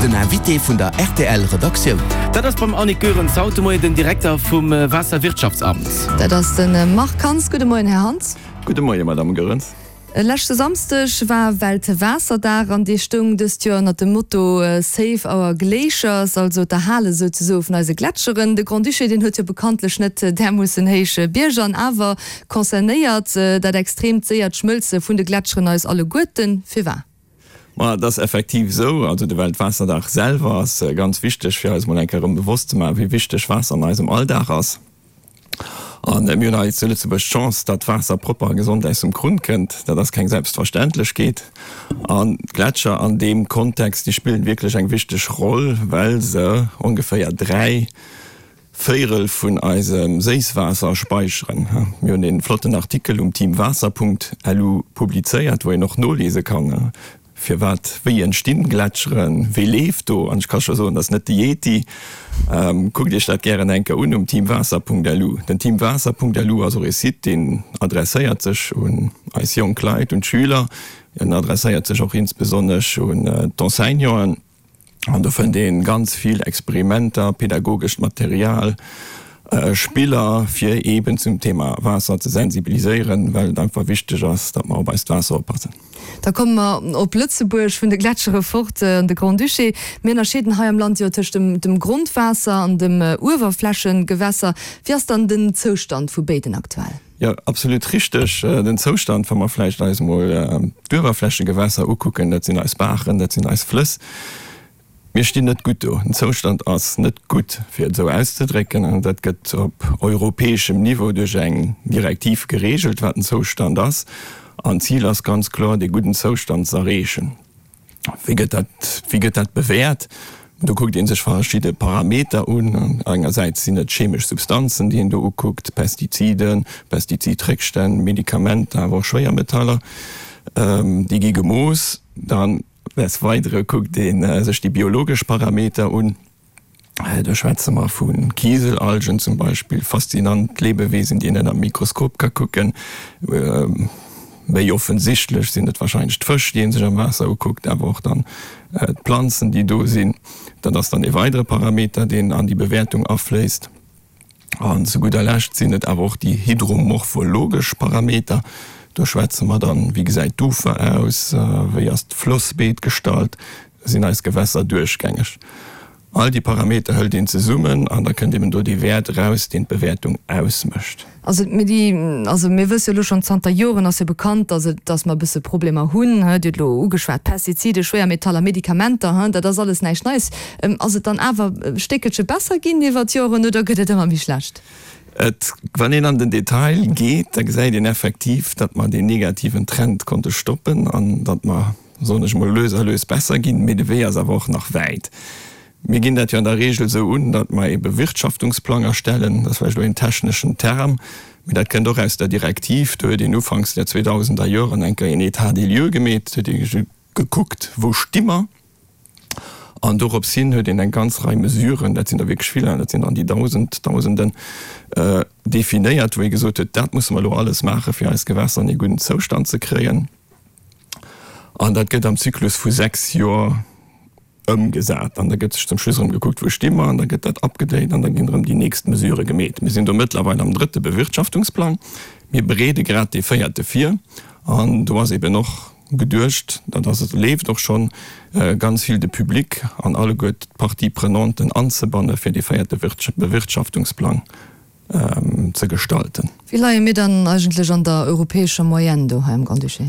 Den Invité vun der rtl Redaktioun. Dat ass beim Annick Goerens haut de Moien den Direkter vum Waasserwirtschaftsamt. Dat ass de Marc Hans. Gudde Moien, Här Hans. Gudde Moien, Madame Goerens. Leschte Samsdeg war Weltwaasserdag an dee stoung dëst Joer ënnert dem Motto Save our Glaciers, also d'Erhale souzesoe vun eise Gletscheren. De Grand-Duché, deen huet jo bekanntlech net därmoossen héich Bierger an awer concernéiert dat extreemt séiert Schmëlze vun de Gletscheren eis alleguerten. Firwat? Ma et ass effektiv esou, also de Weltwaasserdag selwer ass ganz wichteg, fir eis emol eng Kéier erëm bewosst ze maachen, wéi wichteg Waasser an eisem Alldag ass. A mir hunn hei zu Lëtzebuerg d'Chance, datt Waasser propper a gesond aus dem Krunn kënnt. Dat ass keng Selbstverständlechkeet. An d'Gletscher an deem Kontext, déi spillen wierklech eng wichteg Roll, well se ongeféier 3 Véirel vun eisem Séisswaasser späicheren. Mir hunn ee flotten Artikel um teamwaasser.lu publizéiert, wou een och noliese kann, firwat, wéi entstinn Gletscheren, wéi leeft do, an ech ka scho soen, dat ass net de Yeti. Kuckt Iech dat gären eng Kéier un um teamwaasser.lu. Den teamwaasser.lu ass och ee Site, deen adresséiert sech un eis jonk Leit, un d'Schüler, en adresséiert sech och insbesonnesch un d'Enseignanten. An do fënnt een ganz vill Experimenter, pädagogescht Material, Spiller fir eben zum Thema Waasser ze sensibiliséieren, well et einfach wichteg ass, datt mer op eist Waasser oppassen. Da komme mer op Lëtzebuerg, vun de Gletschere fort an de Grand-Duché. Mir ënnerscheeden hei am Land jo tëscht dem Grondwaasser an dem Uewerflächengewässer. Wéi ass dann den Zoustand vu béiden aktuell? Jo, absolut richteg. Den Zoustand, wa mer vläicht eis emol d'Uewerflächegewässer ukucken, dat sinn eis Baachen, dat sinn eis Flëss, mir stinn net gutt do. Den Zoustand ass net gutt, fir et esou auszedrécken. An dat gëtt op europäeschem Niveau duerch eng Direktiv geregelt, wat den Zoustand ass. An d'Zil ass ganz kloer, dee gudden Zoustand z'erreechen. Wéi gëtt dat, wéi gëtt dat bewäert? Do kuckt ee sech verschidde Parameter un. Engersäits sinn et chemesch Substanzen, déi een do ukuckt, Pestiziden, Pestizidréckstänn, Medikamenter, awer och Schwéiermetaller, déi gi gemooss. Dann des Weidere kuckt ee sech déi biologesch Parameter un. Do schwätze mer vu Kieselalgen zum Beispill, faszinant Lebewesen, déi een ënner dem Mikroskop ka kucken. Méi offensichtlech sinn et warscheinlech d'Fësch, déi ee sech am Waasser ukuckt, awer och dann d'Planzen, déi do sinn. Dat ass dann ee weidere Parameter, deen an déi Bewäertung afléisst. An zu gudder Lescht sinn et awer och déi hydromorphologesch Parameter. Do schwätze mer dann, wéi gesäit d'Ufer aus, wéi ass d'Flossbeet gestallt, sinn eis Gewässer duerchgängeg. All déi Parameter hëlt een zesummen an da kënnt eben do dee Wäert eraus, deen d'Bewäertung ausmécht. Also mir déi, also mir wësse jo elo schonn zanter Joren ass jo bekannt, dass et, dass mer e bësse Problemer hunn, hë, Dir hutt elo ugeschwat, Pestizide, Schwéiermetaller, Medikamenter, hë, dat ass alles näischt Neies. Ass et dann awer e Stéckelche besser ginn iwwer d'Joren oder gëtt et ëmmer méi schlecht? Et, wann een an den Detail geet, da gesäit een effektiv, datt mer deen negativen Trend konnte stoppen an datt mer, soen ech mol, lues a lues besser ginn, mee de Wee ass awer och nach wäit. Mir ginn dat jo an der Regel esou un, datt mer ee Bewirtschaftungsplang erstellen, dat ass vläicht elo een techneschen Term, mee dat kënnt och aus der Direktiv, do huet een ufanks der zweetausenderjoren Joren eng Kéier een État des lieux gemeet, huet ee gekuckt, wou sti mer, an dorops hin huet een eng ganz Rei Mesuren, dat sinn der wierklech vill, dat sinn der an déi Dausend, Dausenden, definéiert, wou ee gesot huet, dat musse mer elo alles maachen, fir eis Gewässer an ee gudden Zoustand ze kréien. An dat gëtt am Zyklus vu 6 Joer ëmgesat. An da gëtt sech zum Schluss erëm gekuckt, wou sti mer, an da gëtt dat upgedate an da ginn erëm déi nächst Mesurë gemeet. Mir sinn do mëttlerweil am drëtte Bewirtschaftungsplang. Mir bereede grad dee véierte vir. An do ass eben och geduecht, dat ass et, leeft och schonn, ganz vill de Public an alleguer d'Parties prenanten anzebanne fir dee véierte Bewirtschaftungsplang ze gestalten. Wéi leie mir dann eigentlech an der europäescher Moyenne do hei am Grand-Duché?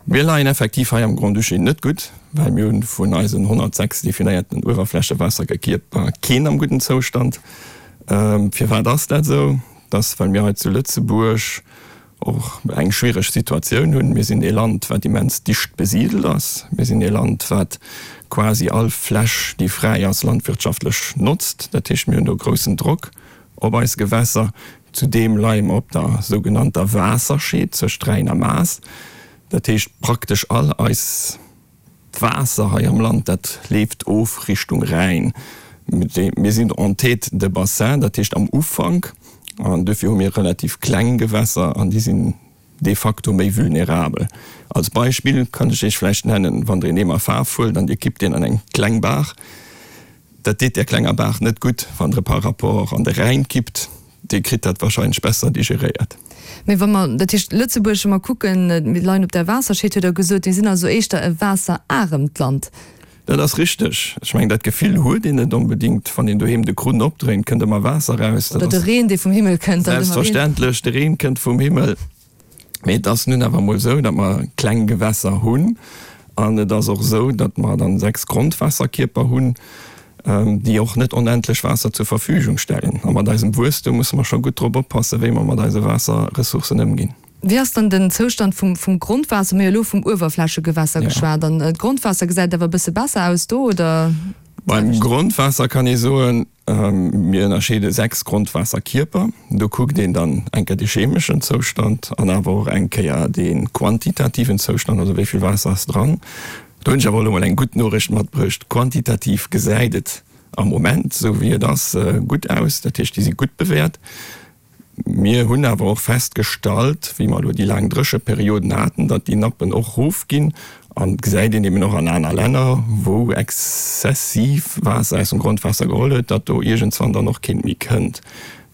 Mir leien effektiv hei am Grand-Duché net gutt, well mir hunn vun eisen 106 definéierten Uewerflächewaassergekierper keen am gudden Zoustand. Firwat ass dat esou? Dat ass, well mir hei zu Lëtzebuerg och eng schwiereg Situatioun hunn. Mir sinn ee Land, wat immens dicht besidelt ass. Mir sinn ee Land, wat quasi all Fläch, déi fräi ass, landwirtschaftlech notzt. Dat heescht, mir hunn do groussen Drock op eis Gewässer. Zudeem leie mer op der sougenannter Waasserscheed zwëscht Rhäin a Maas. Dat heescht, praktesch all eis D'Waasser hei am Land, dat leeft of Richtung Rhäin. Mir sinn en tête de bassin, dat heescht am Ufank, an duerfir hu mir relativ kleng Gewässer an déi sinn. de facto méi vulnerabel. Als Beispill kann ech Iech vläicht nennen, wann Der een Eemer Faarf huelt an Dir kippt deen an eng kleng Baach, dat deet där klenger Baach net gutt. Wann Der e par rapport an de Rhäin kippt, dee kritt dat wahrscheinlech besser digeréiert. Mee wa mer, dat heescht Lëtzebuerg, wa mer kucken, mir leien op der Waasserscheed, huet Der gesot, mir sinn also éischter e waasseraremt Land. Dat ass richteg. Ech mengen, dat Gefill huet een net onbedéngt. Wann een doheem de Krunn opdréint, kënnt ëmmer Waasser eraus. Oder de Reen, dee vum Himmel kënnt. Selbstverständlech, de Reen kënnt vum Himmel. Mee et ass nun awer emol esou, datt mer kleng Gewässer hunn. An et ass och esou, datt mer dann 6 Grondwaasserkierper hunn, déi och net onendlech Waasser zur Verfügung stellen. A mat eisem Wuesstum musse mer scho gutt drop oppassen, wéi mer mat eise Waasserressourcen ëmginn. Wéi ass dann den Zoustand vum Grondwaasser? Mir hu jo elo vum Uewerflächegewässer geschwat. An d'Grondwaasser gesäit awer e bësse besser aus do, oder? Beim Grondwaasser kann ee soen, mir ënnerscheede 6 Grondwaasserkierper. Do kuckt een dann eng Kéier de chemeschen Zoustand an awer och eng Kéier de quantitativen Zoustand, also wéi vill Waasser ass dran. Do hunn ech awer elo mol eng gutt Noriicht matbruecht, Quantitativ gesäit et am Moment, esou wéi et ass, gutt aus. Dat heescht, déi si gutt bewäert. Mir hunn awer och festgestallt, wéi mer elo déi laang Drécheperioden haten, datt déi Nappen och erofginn. An et gesäit een eben och an aner Länner, wou exzessiv Waasser aus dem Grondwaasser geholl huet, datt do iergendswann dann och keent méi kënnt.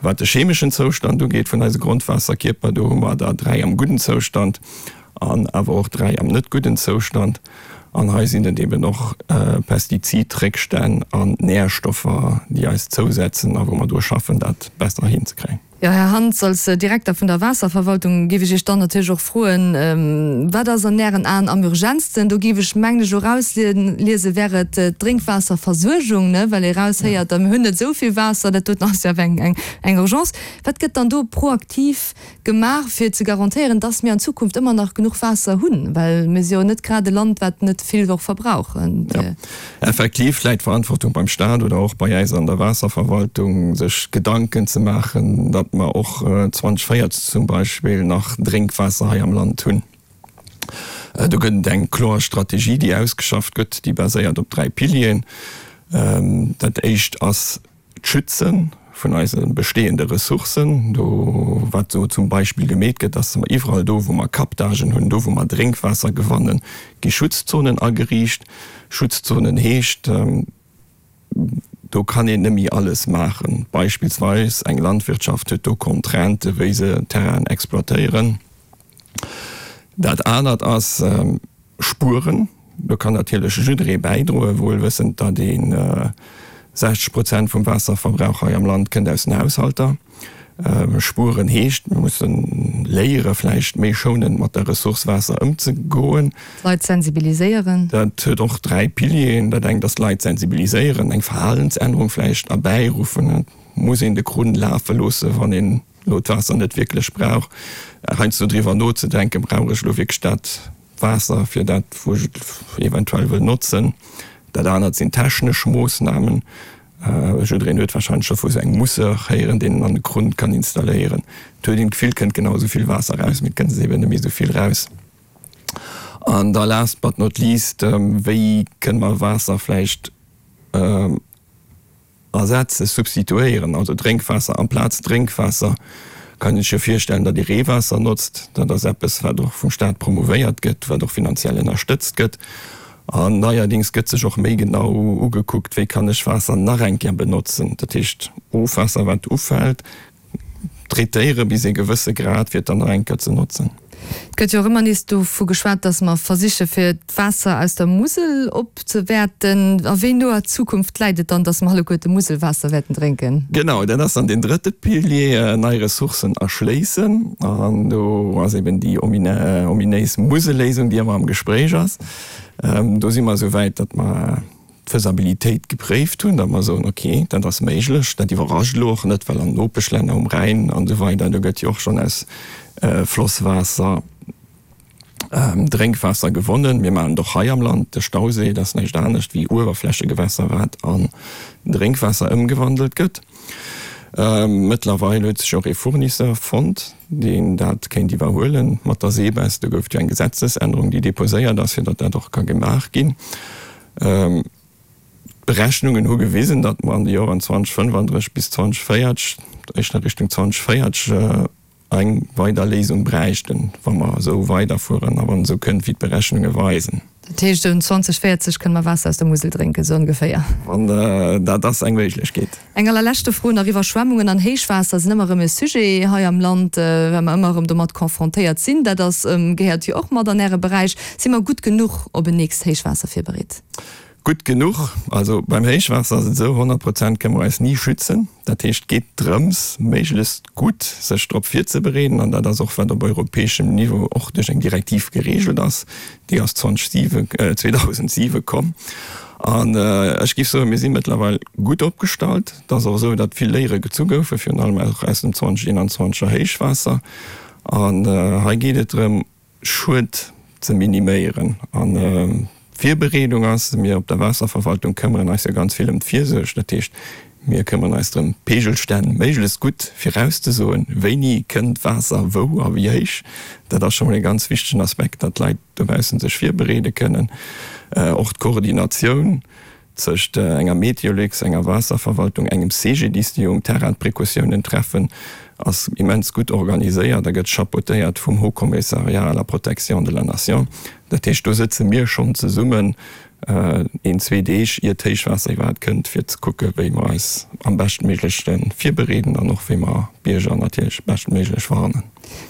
Wat de chemeschen Zoustand ugeet vun eise Grondwaasserkierper, do hu mer der 3 am gudden Zoustand an awer och 3 am net gudden Zoustand. An hei sinn et eben och Pestizidréckstänn an Nährstoffer, déi eis zousetzen a wou mer dru schaffen, dat besser hinzekréien. Jo, Här Hans, als Direkter vun der Waasserverwaltung géif ech Iech dann natierlech och froen, Wat ass an Ären Aen am urgentsten? Do géif ech, mengen ech, elo erausliesen, wär et d'Drénkwaasserversuergung, ne, well ee eraushéiert, mir hunn net esou vill Waasser, dat doten ass jo awer eng Urgence. Wat gëtt dann do proaktiv gemaach, fir ze garantéieren, dass mir an Zukunft ëmmer nach genuch Waasser hunn, well mir si jo net grad e Land, wat net vill och verbrauch. Jo, effektiv läit d'Verantwortung beim Staat oder och bei äis an der Waasserverwaltung, sech Gedanken ze maachen, datt mer och 2040 zum Beispill nach Drénkwaasser hei am Land hunn. Do gëtt et eng kloer Strategie, déi ausgeschafft gëtt, déi baséiert op 3 Pilieren. Dat éischt ass, D'Schütze vun eise bestehende Ressourcen, do wat do zum Beispill gemeet gëtt, ass mer iwwerall do wou mer Captagen hunn, do wou mer Drénkwaasser gewannen, gi Schutzzonen ageriicht. Schutzzonen heescht, do kann een net méi alles maachen. Beispillsweis eng Landwirtschaft huet do Contraintë wéi se Terrainen exploitéieren. Dat anert ass Spueren. Do kann natierlech jidderee bäidroen, wuel wëssend, datt ee 60 Prozent vum Waasserverbrauch hei am Land kënnt aus den Haushalter. Spueren heescht, mir musse léiere vläicht méi schounend mat der Ressource Waasser ëmzegoen. D'Leit sensibiliséieren. Dat huet och 3 Pilieren. Dat engt ass d'Leit sensibiliséieren, eng Verhalensännerung vläicht erbäiruffen. Et muss een de Krunn lafe loosse wann een elo d'Waasser net wierklech brauch, heiansdo driwwer nozedenken, brauch ech elo wierklech dat Waasser fir dat, wou ech et eventuell wëll notzen. Dat anert sinn technesch Moossnamen. Jiddereen huet warscheinlech scho vu sou engem Mousseur héieren, deen en an de Krunn kann installéieren. Et huet een d'Gefill, et kënnt genau esou vill Waasser raus, mee et kënnt eben net méi esou vill raus. An da last but not least, wéi kënne mer Waasser vläicht Ersetzen, substituéieren, also Drénkwaasser amplaz Drénkwaasser, kann een sech jo virstellen, datt ee Reewaasser notzt. Dat ass eppes, wat och vum Staat promouvéiert gëtt, wat och finanziell ënnerstëtzt gëtt. An neierdings gëtt sech och méi genau ugekuckt, wéi kann ech Waasser nach eng Kéier benotzen, dat heescht Ofwaasser, wat ufält, Traitéiere bis ee gewësse Grad, fir et dann nach eng Kéier ze notzen. Et gëtt jo och ëmmer nees dovu geschwat, datt mer versiche fir d'Waasser aus der Musel opzewäerten. A wéi noer Zukunft läit et dann, datt mer alleguerte Muselwaasser wäerten drénken? Genau, dat ass dann deen drëtte Pilier, nei Ressourcen erschléissen. An do ass eben déi ominéis Muselléisung, déi ëmmer am Gespréich ass. Do si mer esou wäit, datt mer d'Faisabilitéit gepréift hunn, datt mer soen, ok, dat ass méiglech. Dat iwwerrascht elo och net, well an Nopeschlänner um Rhäin an esou weider, do gëtt jo och schonn aus Flosswaasser Drénkwaasser gewonnen. Mir maachen et och hei am Land. De Stauséi, dat ass näischt anescht wéi Uewerflächegewässer, wat an Drénkwaasser ëmgewandelt gëtt. Mëttlerweil huet sech och ee Fournisseur fonnt, deen dat kéint iwwerhuelen mat der SEBES. Do gouf et jo eng Gesetzesännerung, déi deposéiert ass, fir datt dat och ka gemaach ginn. D'Berechnungen hu gewisen, datt mer an de Joren 2035 bis 2040, éischter Richtung 2040. Eng weider Léisung bräichten, wa mer esou weiderfueren a wann et esou kënnt, wéi d'Berechnunge weisen. Dat heescht, um 2040 kënne mer Waasser aus der Musel drénken, esou ongeféier? Wann, dat ass eng Méiglechkeet. Eng allerleschte Fro nach, Iwwerschwemmungen an Héichwaasser sinn ëmmer erëm e Sujet hei am Land, well mer ëmmer erëm domat confrontéiert sinn. Dat ass, gehéiert jo och mat an Äre Beräich. Si mer gutt genuch op en nächst Héichwaasser virbereet? Gutt genuch. Also beim Héichwaasser ass et esou, 100 Prozent kënne mer eis ni schützen. Dat heescht, et geet drëms, méiglechst gutt sech drop virzebereeden. An dat ass och, wat op europäeschem Niveau och duerch eng Direktiv geregelt ass. Déi ass 2007, 2007 komm. An ech géif soen, mir si mëttlerweil gutt opgestallt. Et ass och esou, datt vill Léiere gezu goufen, virun allem och aus dem 2021er Héichwaasser. An hei geet et drëm, Schued ze miniméieren. An d'Virbereedung ass, mir op der Waasserverwaltung këmmeren eis jo ganz vill ëm d'Virsuerg, dat heescht, mir këmmeren eis drëm, d'Peegelstänn méiglechst gutt virauszesoen, wéini kënnt Waasser wou a wéi héich. Dat ass scho mol e ganz wichtegen Aspekt, datt d'Leit dobaussen sech virbereede kënnen. Och d'Koordinatioun. Tëscht enger Meteolux, enger Waasserverwaltung, engem CGDIS, déi um Terrain d'Precautiounen treffen, ass immens gutt organiséiert a gëtt chapeautéiert vum Haut Commissariat à la protection de la nation. Dat heescht, do sëtze mir schonn zesummen een, zwee Deeg ier d'Héichwaasser iwwerhaapt kënnt, fir ze kucke wéi mer eis am beschtméiglechte virbereeden an och wéi mer d'Bierger natierlech beschtméiglech warnen.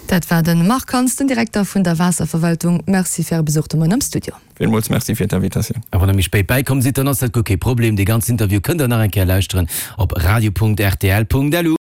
Dat war de Marc Hans, den Direkter vun der Waasserverwaltung. Merci fir Äre Besuch de Moien am Studio. Villmools Merci fir d'Invitatioun. A wann der méi spéit bäikomm sidd, dann ass dat guer kee Problem. Dee ganzen Interview kënnt der nach eng Kéier lauschteren op radio.rtl.lu.